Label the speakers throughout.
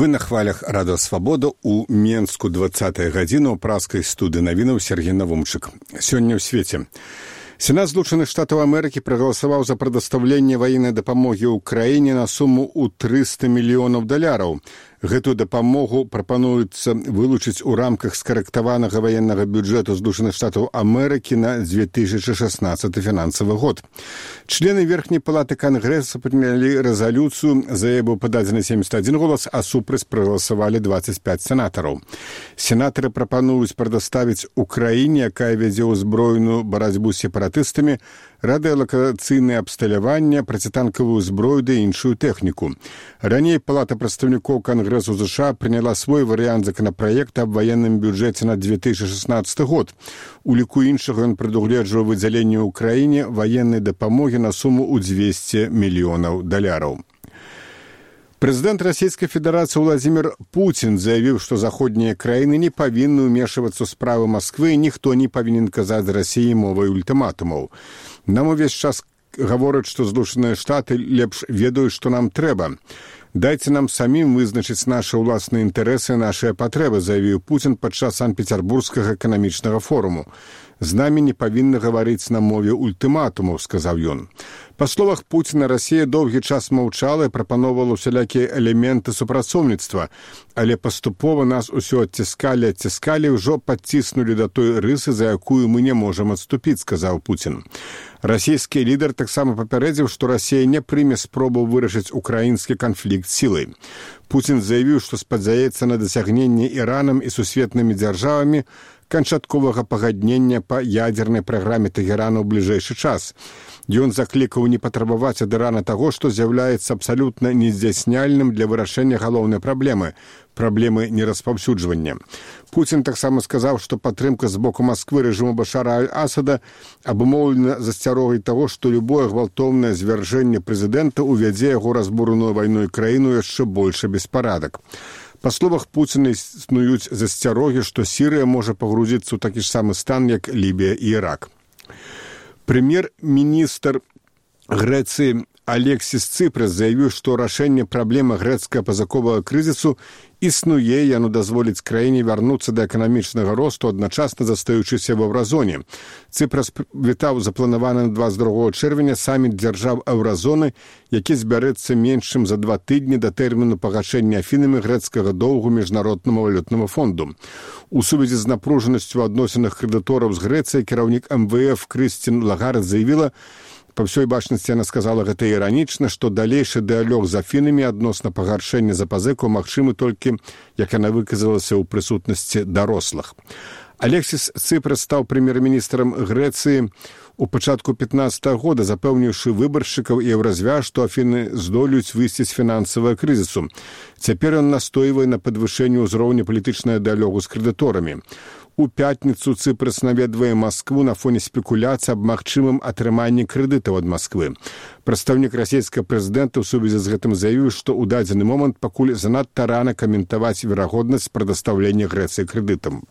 Speaker 1: Вы на хвалях Радио Свабода у Менску 20-я гадзіна ў праскай студыі навінаў Сергей Навумчык. Сёння ў свеце. Сенат Злучаных Штатаў Амерыкі прагаласаваў за прадастаўленне ваеннай дапамогі ўкраіне на суму ў $300 мільёнаў. Гэтую дапамогу прапануецца вылучыць у рамках скарэктаванага ваеннага бюджэту Злучаных Штатаў Амерыкі на 2016 фінансавы год. Члены Верхняй палаты Кангрэса прынялі рэзалюцыю, за яе быў пададзены 71 голас, а супраць прагаласавалі 25 сенатараў. Сенатары прапануюць прадаставіць Украіне, якая вядзе ўзброеную барацьбу з сепаратыстамі, радыёлакацыйнае абсталяванне, процітанкавую зброю ды іншую тэхніку. Раней Палата прадстаўнікоў Кангрэсу США прыняла свой варыянт законапраекта аб ваенным бюджэце на 2016 год. У ліку іншага ён прадугледжваў выдзяленне ўкраіне ваеннай дапамогі на суму ў $200 мільёнаў. Прэзідэнт Расійскай Федэрацыі Владзімір Пуцін заявіў, што заходнія краіны не павінны ўмешвацца ў справы Масквы і ніхто не павінен казаць Расіі мовай ультыматумаў. Нам увесь час гавораць, што Злучаныя Штаты лепш ведаюць, што нам трэба. Дайце нам самім вызначыць нашы ўласныя інтарэсы і нашыя патрэбы, заявіў Пуцін падчас Санкт-Петербургскага эканамічнага форуму. З намі не павінны гаварыць на мове ультыматумаў, сказаў ён. Па словах Пуціна, Расія доўгі час маўчала і прапаноўвала ўсялякія элементы супрацоўніцтва, але паступова нас усё адціскалі і ўжо падціснулі да той рысы, за якую мы не можам адступіць, сказаў Пуцін. Расійскі лідар таксама папярэдзіў, што Расія не прыме спробу вырашыць украінскі канфлікт сілай. Пуцін заявіў, што спадзяецца на дасягненне Іранам і сусветнымі дзяржавамі канчатковага пагаднення па ядзернай праграме Тэгерана ў бліжэйшы час. Ён заклікаў не патрабаваць ад Ірана таго, што з'яўляецца абсалютна нездзяйсняльным для вырашэння галоўнай праблемы нераспаўсюджвання. Пуцін таксама сказаў, што падтрымка з боку Масквы рэжыму Башара аль-Асада абумоўлена засцярогай таго, што любое гвалтоўнае звяржэнне прэзідэнта ўвядзе яго разбураную вайной краіну яшчэ большы беспарадак. Па словах Пуціна існуюць засцярогі, што Сірыя можа пагрузіцца ў такі ж самы стан, як Лібія і Ірак. Прэм'ер-міністр Грэцыі Алексіс Ципрас заявіў, што рашэнне праблемы грэцка-пазаковага крызісу існуе, яно дазволіць краіне вярнуцца да эканамічнага росту, адначасна застаючыся в еўразоне. Ципрас вітаў запланаваны на 22 чэрвеня саміт дзяржаў еўразоны, які збярэцца менш чым за 2 тыдні да тэрміну пагашэння Афінамі грэцкага доўгу міжнароднаму валютнаму фонду. У сувязі з напружанасцю ў адносінах крэдытораў з Грэцыяй кіраўнік МВФ Крыстін Лагард заявіла, па ўсёй бачнасці яна сказала гэта іранічна, што далейшы дыялог з Афінамі адносна пагаршэння запазыкаў магчымы толькі, як яна выказалася, ў прысутнасці дарослых. Алексіс Ципрас стаў прэм'ер-міністрам Грэцыі у пачатку 15-го года, запэўніўшы выбаршчыкаў і еўразвяз, што Афіны здолеюць выйсці з фінансавага крызісу. Цяпер ён настойвае на падвышэнні ўзроўня палітычнага дыялогу з крэдыторамі. У пятніцу Ципрас наведвае Маскву на фоне спекуляцый аб магчымым атрыманні крэдытаў ад Масквы. Прадстаўнік расійскага прэзідэнта ў сувязі з гэтым заявіў, што ў дадзены момант пакуль занадта рана каментаваць верагоднасць прадастаўлення Грэцыі крэдытам.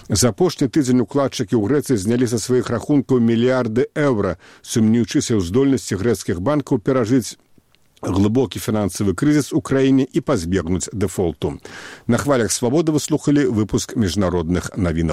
Speaker 1: За апошні тыдзень укладчыкі ў Грэцыі знялі са сваіх рахункаў мільярды еўра, сумнеючыся ў здольнасці грэцкіх банкаў перажыць глыбокі фінансавы крызіс у краіне і пазбегнуць дэфолту. На хвалях Свабоды вы слухалі выпуск міжнародных навінаў.